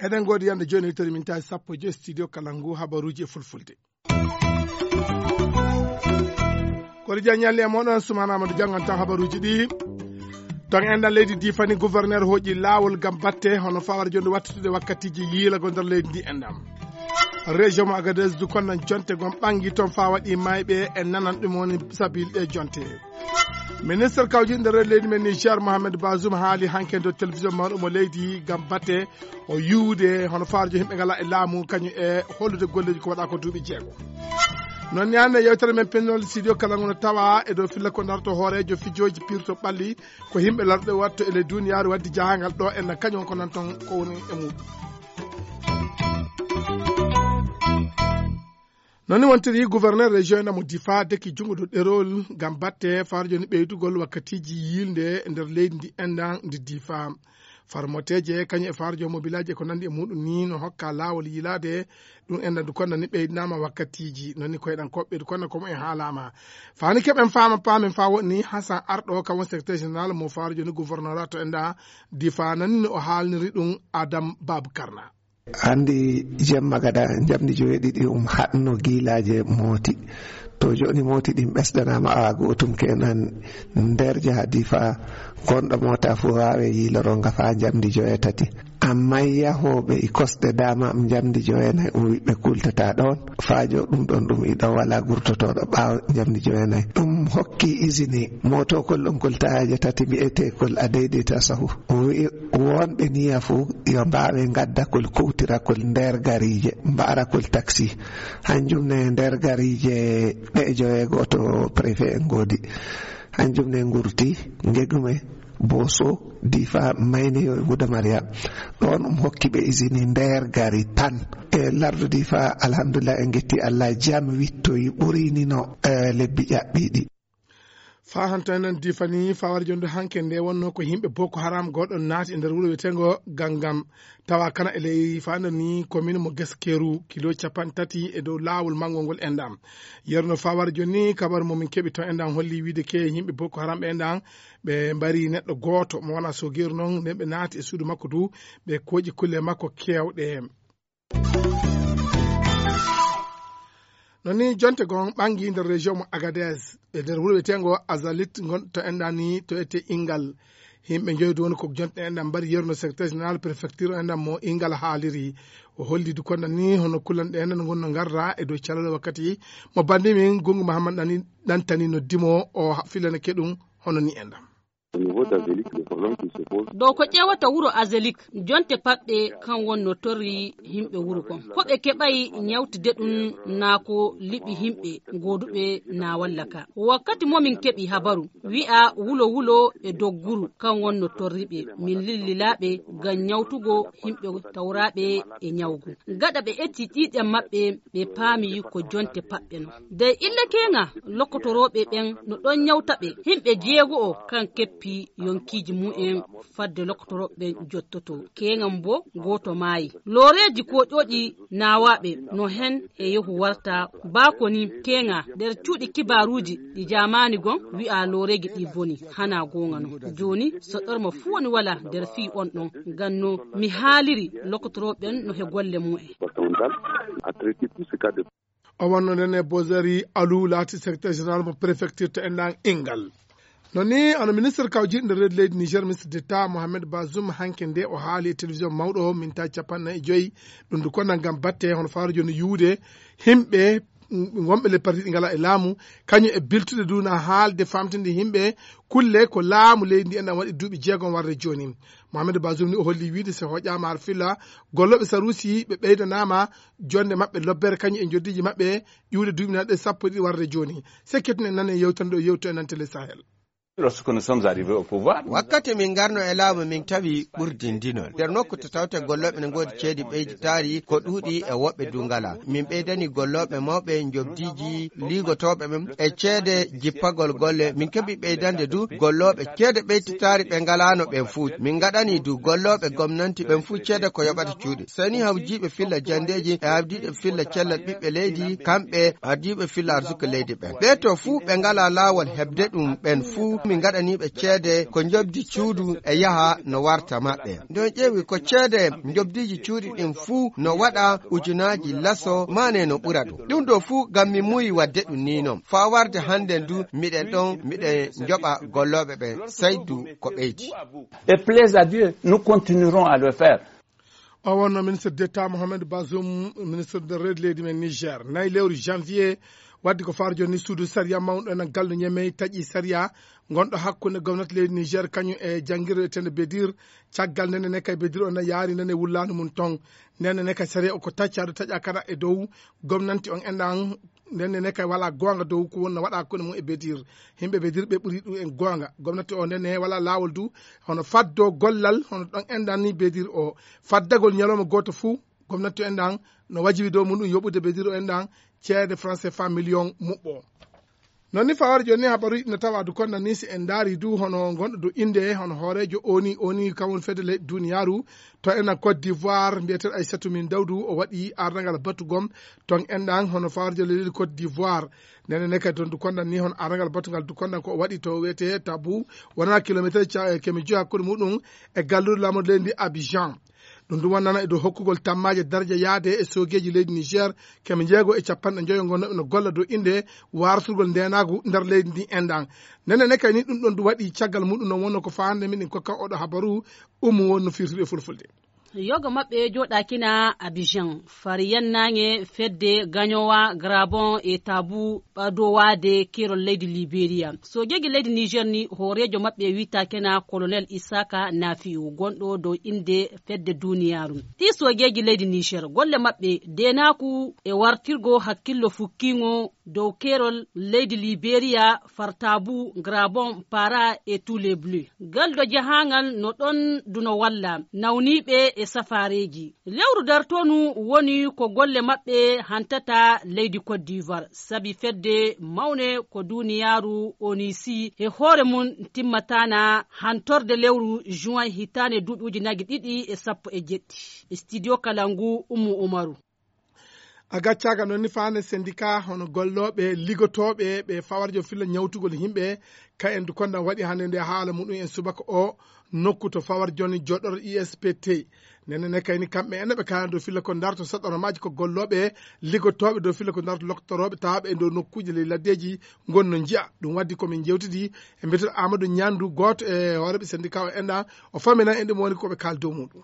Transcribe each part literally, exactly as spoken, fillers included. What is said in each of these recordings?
Eɗen ngoodi yande jooni, tari min tawi sappo e joyi studio kala ngu habaruuji e fulfulde. Kori Dia ñalli e moɗon, Soumana Amadou Diangan tan habaruuji ɗi. Ton enɗan leydi Difani, gouverneur hooƴi laawol ngam batte hono fawar jonde wattitude wakkatiji yiilago nder leydi ndi enɗan. Région mo Agadez du konnan jonte gon ɓangi ton fa waɗi mayɓe e nanan ɗum woni sabil ɗe jonte. Ministre kawjiɗo nder leydi men Niger, Mohamed Bazoum, haali hanke dow télévision mawɗo mo leydi ngam batte o yiwude hono faarjo yimɓe ngala e laamu, kañum e hollude golleji ko waɗa ko duuɓi jeego. Noon ni hannde yewtere men pennol studio kala ngono tawa e dow filla ko darto hoorejo fijoji pirto ɓalli ko yimɓe larɗe watto e ley duniyaaru waddi jahangal ɗo en kañum ko nan toon ko woni e muɗum. Noon ni wontiri gouverneur région ena mo Difa deki junngo dow ɗerol ngam batte faaro jooni ɓeydugol wakkatiiji yiilde nder leydi ndi enɗan ndi Difa. Farmoteeje kañum e faaro joom mobilaaji e ko nanndi e muɗum ni no hokka laawol yiilaade ɗum enɗan du konna ni ɓeydanaama wakkatiiji. Noon ni koyɗan koɓɓe du konna ko mumen haalaama. Faani keɓen faama paamen faa woni Hasan Arɗo kam woni secrétaire général mo faaro jooni gouvernorat to enɗan Difa. Noon ni no o haalniri ɗum Adam Babu Karna. Anndi jemma gada njamndi joweeɗiɗi um haɗno giilaaje mooti. To jooni mooti ɗin ɓesdanaama awa gootum kenan nder jaha Difa gonɗo moota fuu waawe yiiloro nga faa njamndi joweetati. Amma yahooɓe e kosɗe dama am njamndi joweenayi um wiɓɓe kultata ɗon. Faa jo ɗum ɗon ɗum iɗo wala gurtotooɗo ɓaawo njamndi joweenayi. Ɗum hokki izini mootokol ɗon kol tayaje tati mbi'eteekol a daidaita sahu. O wi'i wonɓe niya fuu yo mbaawe ngaddakol kuwtirakol nder gariije, mbaarakol taksi. Hanjum ne nder gariije ɗe joweego to préfet en ngoodi. Hanjum ne ngurti Ngegume, Boso, Difa, Mayneyo e Guda Mariam. Ɗon um hokki ɓe izini nder gari tan. E lardu Difa, alhamdulillah, en ngetti Allah, jam wittoyi ɓurini no, eh, lebbi ƴaɓɓiɗi. Faa hanto enen Difa ni, faa wara jonde hanke nde wonno ko yimɓe Boko Haram goɗɗo naati e nder wuro wiyeteengo Gangam. Tawa kana e ley faa nder ni commune mo Geskeru, kilo capanɗe tati e dow laawol mangol ngol enɗan. Yerno faa wara joni kabaru mo min keɓi ton enɗan holli wiide ke yimɓe Boko Haram ɓe enɗan ɓe mbari neɗɗo gooto mo wona sogeeru non, nden ɓe naati e suudu makko du, ɓe kooƴi kulle makko keewɗe. Noon ni jonte gon ɓangi nder région mo Agadez, e nder wuro wiyeteengo Azalit ngon to enɗan ni to ete Ingal. Yimɓe njoyi du woni ko jonte enɗan mbari yerno secrétaire général préfecture enɗan mo Ingal haaliri. O holli du konda ni hono kullanɗe enɗan ngon no ngarra e dow calal wakkati mo bandi min Gungu Mahamad Ɗani, Ɗantani noddi mo o ha-, filana ke ɗum hono ni enɗan. Au niveau d'Azelik, le problème qui se pose. Dow ko ƴeewata wuro Azelik, jonte paɓɓe kan wonno torri yimɓe wuro kon. Ko ɓe keɓay ñawtude ɗum naa ko liɓi yimɓe gooduɓe naa walla ka. Wakkati mo min keɓi habaru, wi'a wulo wulo e dogguru kan wonno torri ɓe. Min lillilaaɓe ngam ñawtugo yimɓe tawraaɓe e ñawgu. Gaɗa ɓe etti ƴiiƴam maɓɓe, ɓe paami ko jonte paɓɓe non. Dey illa keeŋa, lokotorooɓe ɓen no ɗon ñawta ɓe. Himɓe jeego'o kan keppi yonkiiji mu'en fadde lokotorooɓe ɓen jottoto. Keeŋan bo gooto maayi. Looreeji kooƴooɗi naawaaɓe no hen e yehu warta. Baa ko ni keeŋa nder cuuɗi kibaaruuji ɗi jaamaani gon wi'a looreeji ɗi boni. Hanaa gooŋa non. Jooni so ɗorma fuu woni wala nder fii on ɗon. Ngam no mi haaliri lokotorooɓe ɓen no he golle mu'en. O wonno nden e Bozari Alou laati secrétaire général mo préfecture to enɗan Ingal. No ni, hono ministre kawjiɗo nder leydi Niger, ministre d'État Mohamed Bazoum, hanke nde o haali e télévision mawɗo o, minta capanɗe nayi e joyi, ɗum du konna ngam batte hono faaro jooni yuwude himɓe, mm, wonɓe le parti ɗi ngala e laamu, kañum e biltude du na haalde famtinde himɓe kulle ko laamu leydi ndi enɗan waɗi duuɓi jeegom warde jooni. Mohamed Bazoum ni o holli wiide so hoƴaama har filla, gollooɓe Sarusi ɓe ɓeydanaama jonde maɓɓe lobbere kañum e njoddiiji maɓɓe ƴuwde duuɓi nanɗe sappo e ɗiɗi warde jooni. Sekketin en nane yewtande o yewto e nan Télé Sahel. Lorsque nous sommes arrivés au pouvoir, wakkati min ngarno e laamu, min tawi ɓurdindinol nder nokku to tawte gollooɓe ne ngoodi ceedi ɓeyditaari ko ɗuuɗi e woɓɓe du ngala. Min ɓeydani gollooɓe mawɓe, njobdiiji liigotooɓe ɓen e ceede jippagol golle. Min keɓi ɓeydande du gollooɓe ceede ɓeyditaari ɓe ngalaano ɓen fuu. Min ngaɗani du gollooɓe gomnanti ɓen fuu ceede ko yoɓata cuuɗi. Seni hawjiiɓe filla janndeeji e hawjiiɓe filla cellal ɓiɓɓe leydi, kamɓe hawjiiɓe filla arsuka leydi ɓen. Ɓee to fuu ɓe ngalaa laawol heɓde ɗum ɓen fuu, min ngaɗanii ɓe ceede ko njobdi cuuɗi e yaha no warta maɓɓe. Nde on ƴeewi ko ceede njobdiiji cuuɗi ɗin fuu no waɗa ujunaaji laso, maane no ɓura ɗum. Ɗum ɗo fuu ngam mi muuyi waɗde ɗum nii non. Faa warde hannden du, miɗen ɗon, miɗen njoɓa gollooɓe ɓen, saydu ko ɓeydi. Et plaise à Dieu, nous continuerons à le faire. O wonno ministre d'État Mohamed Bazoum, ministre de reedu leydi men Niger. Nayi lewru janvier, waddi ko faaro jooni suudu sariya mawɗo ena gallu Ñemey taƴi sariya ngonɗo hakkunde gomnati leydi Niger kañum e janngirɗo etende Bedir. Caggal nde nene kay Bedir on yaari nene wullaandu mum ton. Nene ne kay sariya o ko taccaado taƴa kana e dow gomnanti on enɗan. Nene ne kay wala goonga dow ko wonno waɗa hakkunde mum e Bedir. Yimɓe Bedir ɓe ɓuri ɗum en goonga. Gomnati o nene wala laawol du hono faddo gollal hono ɗon enɗan ni Bedir o. Faddagol ñalawma gooto fuu, gomnati o enɗan no wajibi dow muɗum yoɓude Bedir o enɗan ceede franc C F A million muɓɓo. Noon ni fawar jooni habaruuji no tawa du konda ni si en ndaari du hono gonɗo dow innde hono hooreejo oni, oni kam woni fedde leyɗe duniyaaru to enen Côte d'Ivoire, mbiyeteeɗo Aissatou Min Dawdu, o waɗi ardangal batugom ton enɗan hono fawar jooni leydi Côte d'Ivoire. Nene ne kadi toon du kondan ni hono ardangal batungal du kondan ko o waɗi to wiyetee Tabu, wonaa kilomeeter ca-, keme joyi hakkunde muɗum e galluure laamorde leydi ndi Abidjan. Ɗum ɗum wonnana e dow hokkugol tammaaje darja yaade e soogeeji leydi Niger, keme njeego e capanɗe njoyo ngonnoɓe no golla dow innde waartugol ndeenaagu nder leydi ndi enɗan. Nene ne kay ni ɗum ɗon du waɗi caggal muɗum no wonno ko faande min en kokka oɗo habaru ummu won no firtude e fulfulde. Yoga maɓɓe jooɗaakina Abidjan, fari yannaange fedde Gañowa, Grabon e Tabu ɓadowaade keerol leydi Liberia. Soogeeji leydi Niger ni hooreejo maɓɓe wiyetaakena Colonel Isaka Nafiu, gonɗo dow innde fedde duniyaaru. Ɗi soogeeji leydi Niger, golle maɓɓe deenaaku e wartirgo hakkillo fukkiingo dow keerol leydi Liberia, Fartabu, Grabon, Para e Tous les Bleus. Galdo jahaangal no ɗon duno walla nawniiɓe e safaareeji. Lewru dartonu woni ko golle maɓɓe hantata leydi Côte d'Ivoire, sabi fedde mawne ko duniyaaru onisi e hoore mum timmataana hantorde lewru juin hitaande duuɓi ujunaaji ɗiɗi e sappo e jeɗɗi. Studio Kalangu, Ummu Umaru. A gaccaaka noon ni faande syndicat hono gollooɓe, ligotooɓe, ɓe fawarjo filla ñawtugol yimɓe, ka en du kondan waɗi hannde nde haala muɗum en subaka o nokku to fawar jooni joɗɗoto I S P T. Nene ne kayni kamɓe en ɓe kaala dow filla ko darto saɗɗoro maaji ko gollooɓe, ligotooɓe dow filla ko darto loktorooɓe tawaaɓe e dow nokkuuji ley laddeeji ngon no njiya. Ɗum waddi ko min jewtidi e mbiyeteeɗo Amadou Ñandu, gooto e hooreeɓe syndicat o enɗa, o famina en ɗum woni ko ɓe kaali dow muɗum.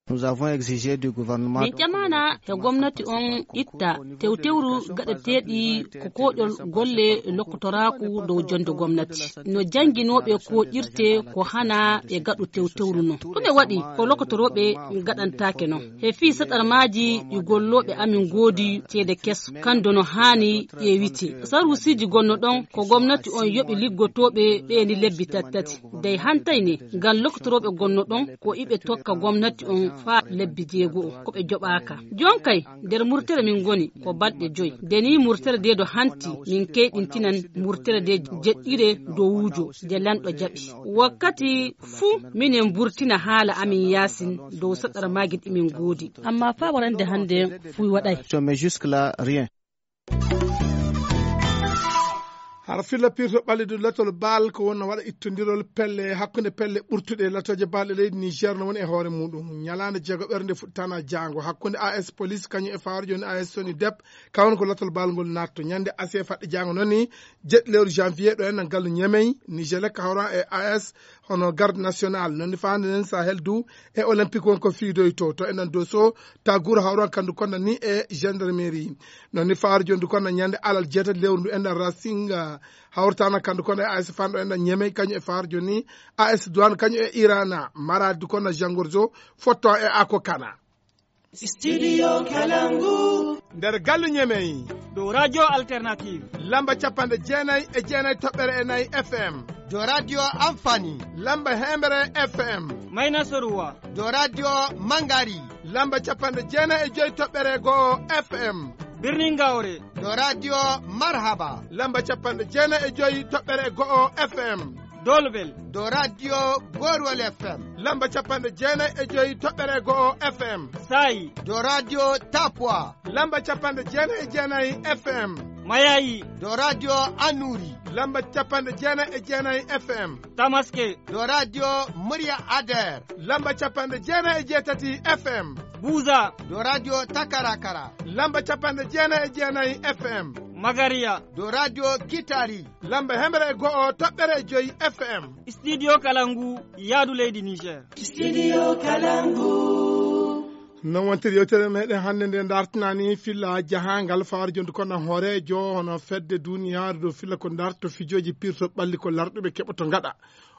Nous avons exigé du gouvernement. Min ƴamaana he gomnati on itta tewtewru gaɗeteeɗi ko koɗol golle lokkotoraaku dow jonde gomnati. No jannginooɓe koƴirte ko hana e gaɗu tewtewru non. Ɗume waɗi ko lokkotorooɓe gaɗantaake non? He fii saɗarmaaji ɗi gollooɓe amin ngoodi ceede keso. Kando no haani ƴeewite. Saruusiiji gonno ɗon ko gomnati on yoɓi liggotooɓe ɓe ni lebbi tattati. Dey hantay ne, ngam lokkotorooɓe gonno ɗon ko iɓe tokka gomnati on faa lebbi jeego ko ɓe joɓaaka. Jon kay, nder murtere min ngoni ko balɗe joy. Nde ni murtere de do hanti, min keyɗintinan murtere de jeɗɗire dowujo de lanɗo jaɓi. Wakkati fuu minen burtina haala amin yaasin dow saɗarmaaji ɗi min ngoodi. Amma faa warande hannde fuu waɗay. Mais jusque-là, rien. Hara filla pirto ɓallidu latol baal ko wonno waɗa ittondirol pelle hakkunde pelle ɓurtuɗe latooje baalɗe leydi Niger no woni e hoore muɗum. Ñalaande jeego ɓernde fuɗtana jaango hakkunde A S Police kañum e faaro jooni A S Soni Dep, kawon ko latol baal ngol natto. Ñande asiya faɗɗe jaango noon ni, jeɗɗi lewru janvier ɗo en gallu Ñemey, Niger ka hawran e A S hono garde national, noon ni faande nden Sahel du e olympique won ko fiidoyto. To enen Dosso, ta guura hawran kandu konda ni e gendarmerie. Noon ni faaro jooni du konda ñande alal jeetati lewru ndu enɗan Racing, ah, hawrtana kandu konda e A S Fan ɗo enɗan Ñemey, kañum e faaro jooni A S Douane, kañum e Irana. Maradi du konda Jangorzo, fotto e Ako Kana. Studio Kalangu. Nder gallu Ñemey. Dow Radio Alternative. Lamba capanɗe jeenay e jeenay toɓɓere e nayi F M. Dow Radio Amfani. Lamba hemere F M. Mayna Soruwa. Dow Radio Mangari. Lamba capanɗe jeenayi e joyi toɓɓere go'o F M. Birnin Gawre. Dow Radio Marhaba. Lamba capanɗe jeenayi e joyi toɓɓere go'o F M. Dolbel. Dow Radio Gorwal F M. Lamba capanɗe jeenayi e joyi toɓɓere go'o F M. Sayi. Dow Radio Tapua. Lamba capanɗe jeenayi e jeenayi F M. Mayayi. Dow Radio Anuri. Lamba capanɗe jeenayi e jeenayi F M. Tamaske. Dow Radio Murya Ader. Lamba capanɗe jeenayi e jeetati F M. Buza. Dow Radio Takarakara. Lamba capanɗe jeenayi e jeenayi F M. Magariya. Dow Radio Kitari. Lamba hemere e go'o toɓɓere joyi F M. Studio Kalangu, yaadu leydi Niger. Studio Kalangu. Non wontiri yewtere meɗen hannde nde dartinani filla jahangal fawar jonde kono hoorejo hono fedde duniyaaru dow filla ko darto fijooji pirto ɓalli ko larɗuɓe keɓoto ngaɗa.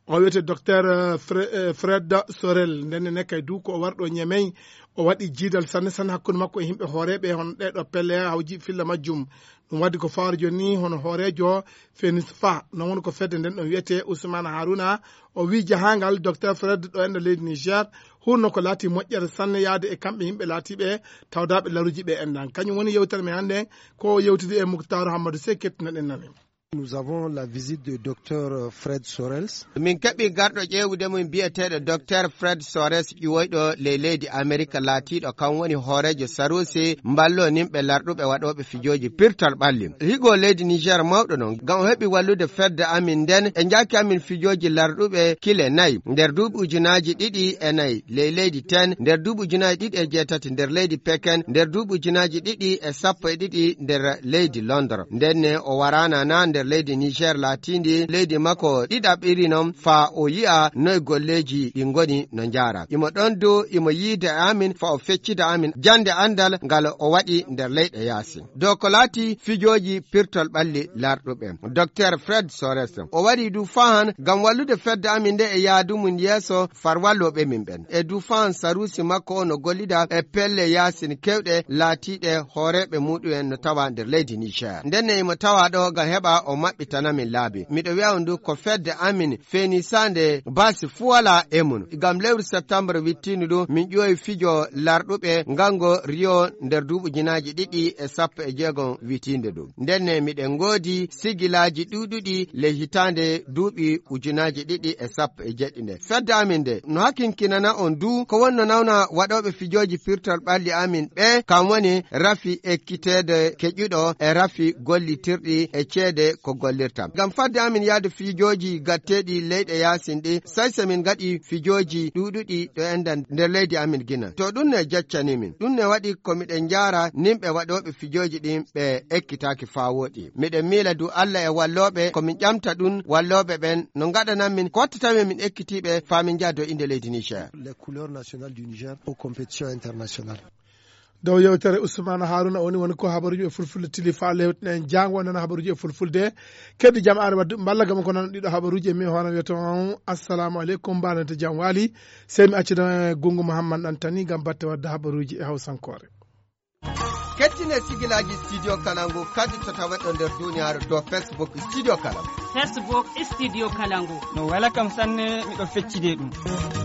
O wiyete Docteur, eh, Fre-, eh, Fred Sorel. Ndenne ne kay du ko o warɗo Ñemey. O waɗi jiidal sanne sanne hakkunde makko e yimɓe hooreeɓe hono ɗeɗo pelle hawji filla majjum. Ɗum waɗi ko fawar joni hono hoorejo Fenis Fa. Non woni ko fedde nden ɗon wiyete Ousmane Harouna. O wi jahangal Docteur Fred ɗo enda leydi Niger. Hurno ko laati moƴƴere sanne yaade e kamɓe yimɓe laatiɓe tawdaɓe laruji ɓe endan. Kañum woni yewtere men hannde ko yewtude e Muktar Hammadou Sey kettinaɗen nane. Nous avons la visite de Docteur Fred Sorels. Min keɓi garɗo ƴeewude mum biyeteeɗo Docteur Fred Sorels ƴiwoyɗo ley leydi Amerika laatiiɗo kam woni hooreejo Sarusi mballo nimɓe larɗuɓe waɗooɓe fijooji pirtal ɓalli. Higo leydi Niger mawɗo non ngam o heɓi wallude fedde amin nden e njaaki amin fijooji larɗuɓe kile nayi nder duuɓi ujunaaji ɗiɗi e nayi ley leydi ten nder duuɓi ujunaaji ɗiɗi e jeetati nder leydi Peken nder duuɓi ujunaaji ɗiɗi e sappo e ɗiɗi nder leydi Londres. Ndenne o waraana na nder leydi Niger laatiindi leydi makko ɗiɗaɓiri non faa o yi'a noy golleeji ɗi ngoni no njaara. Imo ɗon du imo yiide e amin faa o feccida amin jannde anndal ngal o waɗi nder leyɗe yaasi. Dow ko laati fijooji pirtol ɓalli larɗuɓe, Docteur Fred Sorels o wari du fahan ngam wallude fedde amin nde e yaadu mum yeeso far wallooɓe min ɓen. E du fahan saruusi makko o no gollida e pelle yaasin kewɗe laatiiɗe hooreeɓe muɗum en no tawa nder leydi Niger. Ndenne imo tawa ɗo ngam heɓa o maɓɓitana min laabi. Miɗo wi'a on du ko fedde amin feenisaande baasi fuu walaa e mum. Ngam lewru septembre wittiindu du min ƴoowi fijo larɗuɓe ngango Rio nder duuɓi ujunaaji ɗiɗi e sappo e jeegom witiinde du. Ndenne miɗen ngoodi sigilaaji ɗuuɗuɗi ley hitaande duuɓi ujunaaji ɗiɗi e sappo e jeɗɗi nde. Fedde amin nde no hakinkinana on du ko wonno nawna waɗooɓe fijooji pirtol ɓalli amin ɓe, kam woni rafi ekkiteede keƴuɗo e rafi gollitirɗi e ceede ko gollirta. Ngam fadde amin yaade fijooji gatteeɗi leyɗe yaasin ɗi, say so min ngaɗi fijooji ɗuuɗuɗi ɗo enɗan nder leydi amin Gine. To ɗum ne jeccani min. Ɗum ne waɗi ko miɗen njaara nimɓe waɗooɓe fijooji ɗin ɓe ekkitaaki faa wooɗi. Miɗen miila du Allah e wallooɓe ko min ƴamta ɗum wallooɓe ɓen no ngaɗanan min ko watta tawi min ekkitiiɓe faa min njaha dow innde leydi Niger. Les couleurs nationales du Niger aux compétitions internationales. Dow yewtere Ousmane Harouna woni, woni ko habaruuji e fulfulde tili faa lewtinen jaango nana habaruuji e fulfulde. Keddi jam are waddu mballa gam ko nan ɗiɗo habaruuji e mi hoore wiyata on. Assalamu aleykum, mbaanante jam waali. Sey mi accida Gungu Muhammad Antani gam batte wadde habaruuji e hawsankoore. Kettine sigilaaji Studio Kalangu kadi to taweɗo nder duniyaaru to Facebook Studio Kalangu. Facebook Studio Kalangu. No wela kam sanne, miɗo feccide ɗum.